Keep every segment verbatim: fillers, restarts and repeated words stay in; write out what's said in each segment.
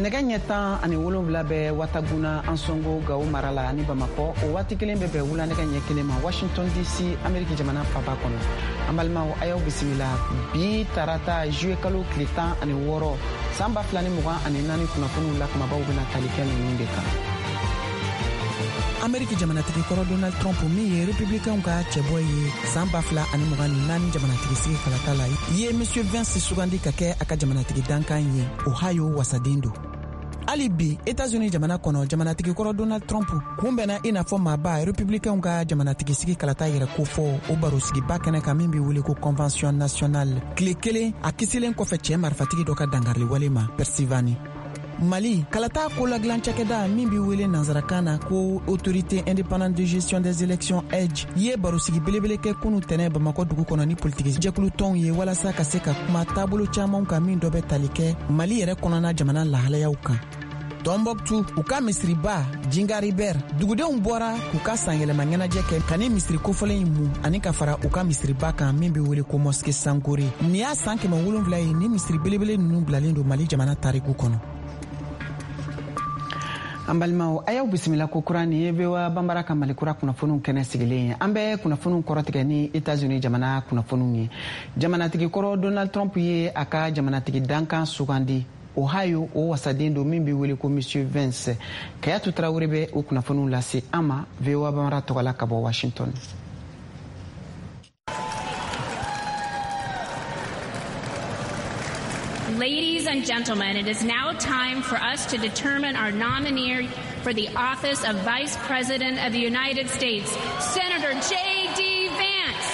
Nɛgɛ ɲɛ tan ani wolonwula bɛ Wataguna Ansongo Gawo mara la ani Bamakɔ. O waati kelen bɛ bɛn wula nɛgɛ ɲɛ kelen ma Washington D C, Ameriki jamana faba kɔnɔ. An balimaw, a y'aw bisimila bi tarata juillet kalo tile tan ani wɔɔrɔ san ba fila ni mugan ani naani kunnafoniw la, kumabaw bɛna tali kɛ ninnu de kan. Ameriki jamanatigi kɔrɔ Donald Trump, min ye Republicainw ka cɛbɔ ye san ba fila ani mugan ni naani jamanatigi sigi kalata la, ye Monsieur Vance sugandi ka kɛ a ka jamanatigi dankan ye. Ohio wasaden don. Hali bi Etats-Unis jamana kɔnɔ, jamanatigi kɔrɔ Donald Trump kunbɛnna i n'a fɔ maaba Republicainw ka jamanatigi sigi kalata yɛrɛ kofɔ o barosigiba kɛnɛ kan min be wele ko Convention nationale, tile kelen a kisilen kɔfɛ cɛɛ marifatigi dɔ ka dangariliwale ma Pennsylvanie. Mali kalata koladilan cakɛda min be wele nansarakan na ko Autorité indépendante de gestion des élections, A I G E, ye barosigi belebele kɛ kunu tɛnɛ Bamakɔ dugu kɔnɔ ni politiki jɛkulu tɔnw ye, walasa ka se ka kuma taabolo caamanw kan, min dɔ bɛ tali kɛ Mali yɛrɛ kɔnɔna jamana lahalayaw kan. Tɔnbɔkutu, u ka misiriba Jingaribɛr dugudenw bɔra k'u ka sanyɛlɛma ɲɛnajɛ kɛ ka ni misiri kofɔlen in mu ani ka fara u ka misiriba kan min be wele ko Mosquée Sankore. Nin y'a san kɛmɛ wolonfila ye ni misiri belebele nunu bilalen don Mali jamana tariku kɔnɔ. An balimaw, a y'aw bisimila ko kura. Nin ye V O A Banbara ka Mali kura kunnafoniw kɛnɛ sigilen ye. An bɛ kunnafoniw kɔrɔtigɛ ni Etats-Unis jamana kunnafoniw ye. Jamanatigi kɔrɔ Donald Trump ye a ka jamanatigi dankan sugandi. Ohio, o wasaden don min bɛ wele ko Monsieur Vance. Kayatu Tarawele bɛ o kunnafoniw lase an ma V O A Banbara tɔgɔ la ka bɔ Washington. Ladies and gentlemen, it is now time for us to determine our nominee for the office of Vice President of the United States, Senator J D. Vance.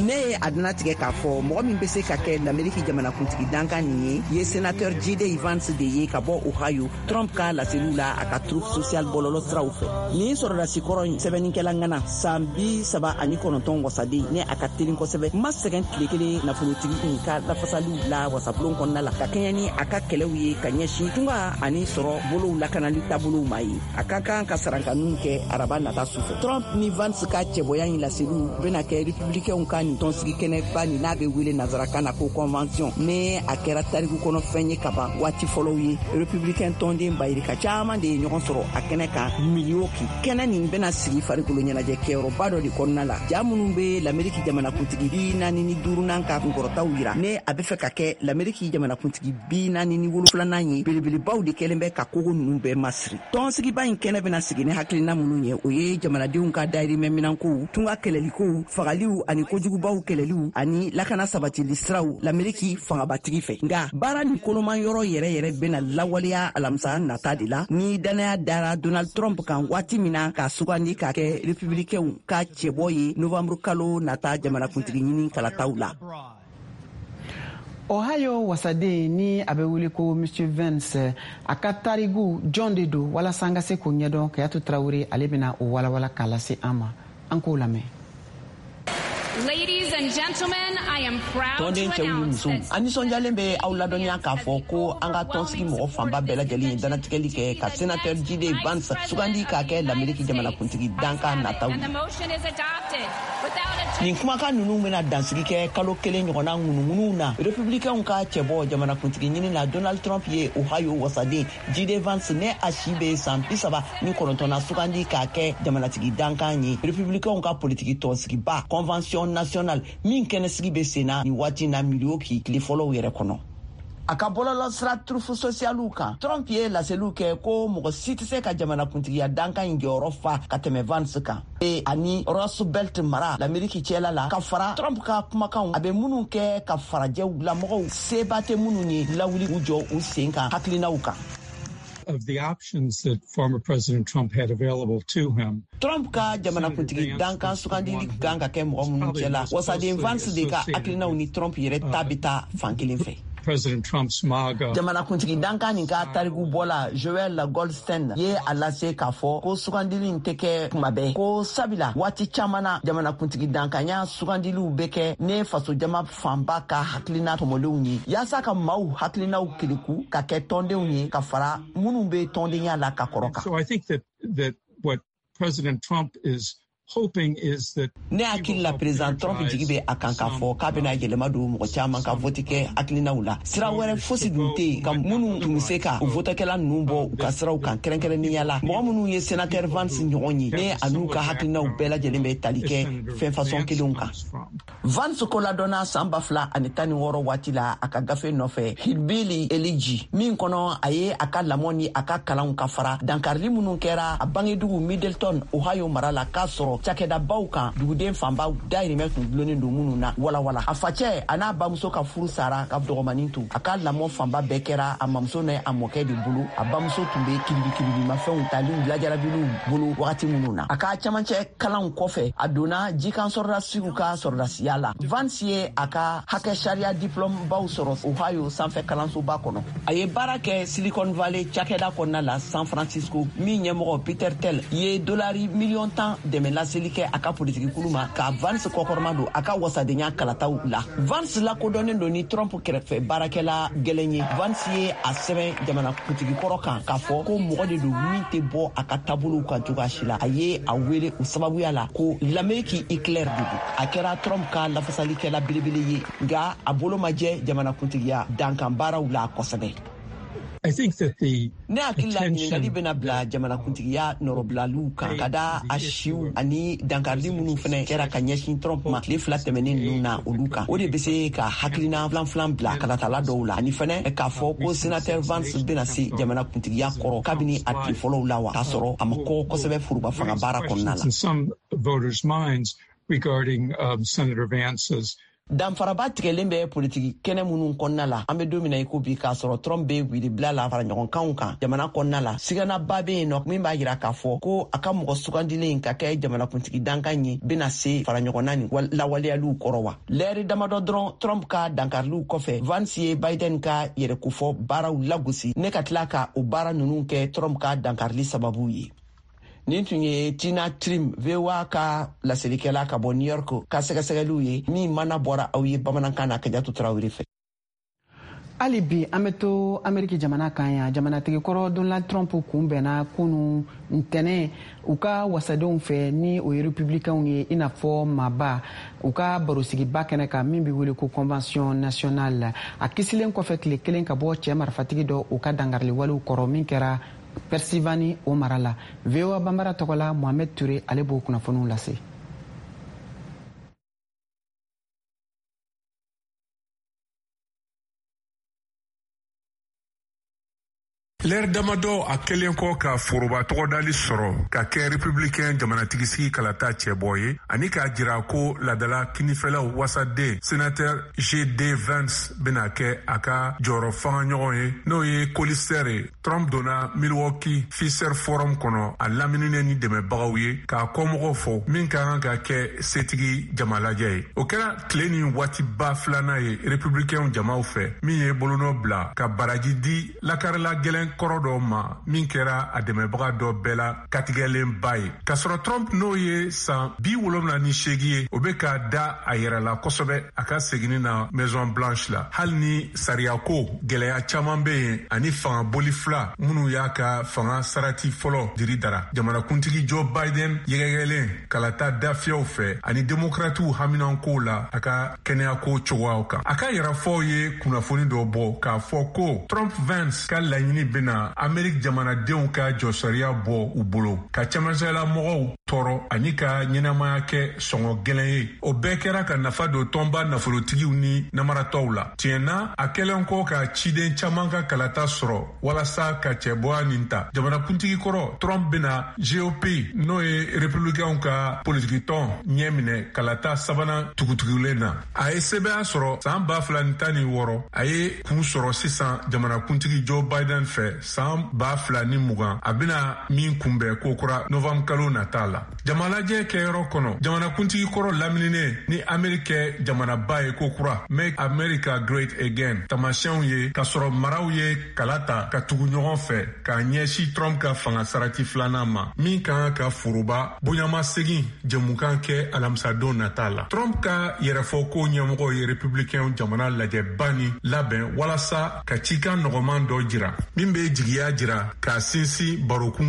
Ne ye a tigɛ k'a fɔ mɔgɔ min bɛ se ka kɛ Lameriki jamanakuntigi dankan nin ye ye sénateur J D Vance de ye ka bɔ Ohio. Trump ka laseliw la a ka Truth Social bɔlɔlɔ siraw fɛ, nin sɔrɔdasi kɔrɔ in sɛbɛnnikɛla ŋana, san bi saba ani kɔnɔntɔn wasaden, ne a ka telin kosɛbɛ, ma sɛgɛn tile kelen nafolotigi in ka lafasaliw la wasabulon kɔnɔna la, ka kɛɲɛ ni a ka kɛlɛw ye ka ɲɛsin tunga ani sɔrɔ bolow lakanali taabolow ma ye. A ka kan ka sarankaniw kɛ araba nata sufɛ. Trump ni Vance ka cɛbɔya in laseliw bena kɛ Republicainw ka nin tɔnsigi kɛnɛba nin, n'a bɛ wele nansarakan na ko convention, ne a kɛra tariku kɔnɔ fɛn ye kaban waati fɔlɔw ye. Républicain tɔnden bayirika caaman de ye ɲɔgɔn sɔrɔ a kɛnɛ kan Milwaukee. Kɛnɛ nin bɛna sigi farikolo ɲɛnajɛ kɛyɔrɔba dɔ de kɔnɔna la. Ja minnu be Lameriki jamanakuntigi bi naani ni duurunan ka kunkɔrɔtaw yira, ne a be fɛ ka kɛ Lameriki jamanakuntigi bi naani ni wolonfilanan ye, belebelebaw de kɛlen bɛ ka kogo nunu bɛɛ masiri. Tɔnsigiba in kɛnɛ bɛna sigi ni hakilina minnu ye, o ye jamanadenw ka dayirimɛ minankow, tunga kɛlɛlikow, fagaliw ani kojugubaw kɛlɛliw ani lakana sabatili siraw Lameriki fangabatigi fɛ. Nga baara ni koloman yɔrɔ yɛrɛ yɛrɛ bena lawaleya alamisa nata de la, ni dannaya dara Donald Trump kan waati min na k'a sugandi k'a kɛ Republikɛnw ka cɛbɔ ye novanburu kalo nata jamanakuntigi ɲini kalataw la. Ohio wasaden ni a bɛ wele ko Monsieur Vance, a ka tarigu jɔn de don? Walasa an ka se k'o ɲɛdɔn, Kayatu Tarawele ale bɛna o walawala k'a lase an ma. An k'o lamɛn. Ladies and gentlemen, I am proud to Tɔnden cɛw ni announce musow, that an nisɔndiyalen bɛ aw ladɔnniya k'a fɔ ko an ka tɔnsigi mɔgɔ fanba bɛɛ lajɛlen ye danatigɛli kɛ ka sénateur J D Vance sugandi k'a kɛ Lameriki jamanakuntigi dankan nataw and ye. the motion is adopted without a Nin kumakan ninnu bena dansigi kɛ kalo kelen ɲɔgɔnna ŋunuŋunuw na. Republikɛnw ka cɛbɔ jamanakuntigi ɲini na Donald Trump ye Ohio wasaden J D Vance, ne a si be san bi saba ni kɔnɔntɔnna, sugandi k'a kɛ jamanatigi dankan ye Republikɛnw ka politiki tɔnsigiba Convention nationale min kɛnɛsigi be sen na nin waati na Milwaukee tile fɔlɔw yɛrɛ kɔnɔ. A ka bɔlɔlɔ sira Truth Socialw kan, Trump ye laseliw kɛ ko mɔgɔ si tɛ se ka jamanakuntigiya dankan in jɔyɔrɔ fa ka tɛmɛ Vance kan e ani Rust Belt mara Lameriki cɛla la, ka fara Trump ka kumakanw a bɛ minnu kɛ ka farajɛw lamɔgɔw seba tɛ minnu ye lawuli u jɔ u sen kan hakilinaw kan. Of the options that former President Trump had available to him, Trump ka jamanakuntigi dankan sugandili kan ka kɛ mɔgɔ minnu cɛla, wasaden Vance de ka hakilinaw ni Trump yɛrɛ ta bɛ taa fan kelen fɛ. President Trump's MAGA Jamanakuntigi dankan nin ka tariku bɔla Joel Goldstein ye a lase k'a fɔ ko sugandili in tɛ kɛ kuma bɛɛ, ko sabula waati caman na jamanakuntigi dankanya sugandiliw bɛ kɛ ne fasojama fanba ka hakilina tɔmɔlenw ye, yaasa ka maaw hakilinaw keleku ka kɛ tɔndenw ye ka fara minnu bɛ tɔndenya la ka kɔrɔ kan. So I think that that what President Trump is hoping is that Ne hakili la, président Trump jigi bɛ a kan k'a fɔ k'a bɛna yɛlɛma don mɔgɔ caman ka vote kɛ hakilinaw la. Sira wɛrɛ fosi dun tɛ yen ka minnu tun bɛ se ka o votekɛla ninnu bɔ u ka siraw kan, kɛrɛnkɛrɛnnenya la mɔgɔ minnu ye sénateur Vance ɲɔgɔn ye, ne a n'u ka hakilinaw bɛɛ lajɛlen bɛ tali kɛ fɛn fasɔn kelenw kan. Vance ko ladɔnna san ba fila ani tan ni wɔɔrɔ waati la a ka gafe nɔfɛ, Hillbilly Elegy, min kɔnɔ a ye a ka lamɔ ni a ka kalanw ka fara dankarili minnu kɛra a bangedugu Middletown, Ohio mara la, k'a sɔrɔ cakɛdabaw kan duguden fanba dayirimɛ tun gulonnen don minnu na walawala. A facɛ a n'a bamuso ka furu sara ka dɔgɔmanin to. A ka lamɔ fanba bɛɛ kɛra a mamuso n'a a mɔkɛ de bolo. A bamuso tun bɛ kiribikiribimafɛnw taliw lajarabiliw bolo wagati minnu na. A ka camancɛ kalanw kɔfɛ, a donna jikan sɔrɔdasiw ka sɔrɔdasiya la. Vance ye a ka hakɛ sariya diplôme baw sɔrɔ Ohio sanfɛ kalansoba kɔnɔ. A ye baara kɛ Silicon Valley cakɛda kɔnɔna la San Francisco, min ɲɛmɔgɔ Peter Thiel ye dolari miliyɔn tan dɛmɛ laseli kɛ a ka politiki kulu ma ka Vance kɔkɔrɔma don a ka wasadenya kalataw la. Vance lakodɔnnen don ni Trump kɛrɛfɛ baarakɛla gɛlɛn ye. Vance ye a sɛbɛn jamana kuntigi kɔrɔ kan k'a fɔ ko mɔgɔ de don min tɛ bɔ a ka taabolow kan cogoya si la. A ye a wele o sababuya la ko l'Amérique Hitler de don. A kɛra Trump ka lafasalikɛla belebele ye, nka a bolo ma jɛ jamana kuntigiya dankan baaraw la kosɛbɛ. I think that the Ne hakili la, ɲininkali bɛna bila jamanakuntigiya nɔrɔbilaliw kan ka da a siw ani dankarili minnu fɛnɛ kɛra ka ɲɛsin Trump ma tile fila tɛmɛnen ninnu na, olu kan. O de bɛ se ka hakilina filan filan bila kalatala dɔw la, ani fɛnɛ k'a fɔ ko sénateur Vance bɛna se jamanakuntigiya kɔrɔ kabini a tile fɔlɔw la wa, k'a sɔrɔ a ma kɔgɔ kosɛbɛ foroba fanga baara kɔnɔna la. in some voters' minds regarding um, Senator Vance's Danfaraba tigɛlen bɛ politiki kɛnɛ minnu kɔnɔna la an bɛ don min na i ko bi, k'a sɔrɔ Trump bɛ wilibila la fara ɲɔgɔnkanw kan jamana kɔnɔna la, siganaba bɛ yen nɔ min b'a yira k'a fɔ ko a ka mɔgɔ sugandilen ka kɛ jamanakuntigi dankan ye bɛna se fara ɲɔgɔnna ni lawaleyaliw kɔrɔ wa. Lɛri damadɔ dɔrɔn Trump ka dankariliw kɔfɛ, Vance ye Biden ka yɛrɛkofɔ baaraw lagosi ne ka tila ka o baara ninnu kɛ Trump ka dankarili sababu ye. Nin tun ye Tina Trim, V O A ka laselikɛla ka bɔ New York, ka sɛgɛsɛgɛliw ye min mana bɔra aw ye bamanankan na Kajatu Tarawele fɛ. Hali bi an bɛ to Ameriki jamana kan yan. Jamanatigi kɔrɔ Donald Trump kunbɛnna kunu ntɛnɛn u ka wasadenw fɛ, ni o ye republicainw ye, i n'a fɔ maaba u ka barosigiba kɛnɛ kan min bɛ wele ko Convention nationale, a kisilen kɔfɛ tile kelen ka bɔ cɛɛ marifatigi dɔ u ka dangariliwalew kɔrɔ min kɛra Pennsylvanie, o mara la. V O A Banbara tɔgɔ la, Mohamed Ture, ale b'o kunnafoniw lase. Lɛri damadɔ a kɛlen kɔ ka foroba tɔgɔdali sɔrɔ ka kɛ républicain jamanatigisigi kalata cɛbɔ ye, ani k'a jira ko ladala kinifɛlaw wasaden sénateur J D Vance bena kɛ a ka jɔyɔrɔ fanga ɲɔgɔn ye, n'o ye colistier ye, Trump donna Milwaukee Fiserv Forum kɔnɔ, a lamininen ni dɛmɛbagaw ye k'a kɔmɔgɔw fɔ min ka kan ka kɛ setigi jamalajɛ ye. O kɛra tile ni waatiba filanan ye républicain jamaw fɛ min ye bolonɔ bila ka baraji di lakarila gɛlɛn kɔrɔ dɔ ma min kɛra a dɛmɛbaga dɔ bɛɛ la katigɛlenba ye. K'a sɔrɔ Trump, n'o ye san bi wolonwula ni seegi ye, o be ka da a yɛrɛ la kosɛbɛ a ka seginni na Maison Blanche la, hali ni sariyako gwɛlɛya caaman be yen ani fanga boli fila minnu y'a ka fanga sarati fɔlɔ diri dara. Jamanakuntigi Joe Biden yɛgɛyɛgɛlen kalata dafiyɛw fɛ ani demokratiw haminankow la a ka kɛnɛyako cogoyaw kan, a ka yɛrɛfɔw ye kunnafoni dɔ bɔ k'a fɔ ko Trump Vance ka laɲini bena Amerik jamanadenw ka jɔsariya bɔ u bolo, ka cɛmancɛla mɔgɔw tɔɔrɔ ani ka ɲɛnamaya kɛ sɔngɔ gwɛlɛn ye. O bɛɛ kɛra ka nafa don tɔnba nafolotigiw ni namaratɔw la. Tiɲɛ na, a kɛlen kɔ ka ciden caaman ka kalata sɔrɔ walasa ka cɛbɔya nin ta, jamanakuntigi kɔrɔ Trump bena G O P, n'o ye republicainw ka politikitɔn ɲɛ minɛ kalata sabanan tugutugulen na. A ye sɛbɛya sɔrɔ saan ba fila ni tan ni wɔɔrɔ, a ye kun sɔrɔ sisan jamanakuntigi Joe Biden fɛ saan ba fila ni mugan, a bena min kunbɛn kokura novanburu kalo nata la jamalajɛ kɛyɔrɔ kɔnɔ. Jamanakuntigi kɔrɔ lamininen ni Ameriki kɛ jamanaba ye kokura, Make America Great Again tamasiyɛnw ye, k'a sɔrɔ maraw ye kala ta ka tugu ɲɔgɔn fɛ k'a ɲɛsin Trump ka fanga sarati filanan ma min ka kan ka foroba bonyamasegin jɛmukan kɛ alamisadon nata la. Trump ka yɛrɛfɔko ɲɛmɔgɔ ye républicain jamana lajɛba ni labɛn walasa ka cikan nɔgɔman dɔ jira min be jigiya jira k'a sinsin barokun.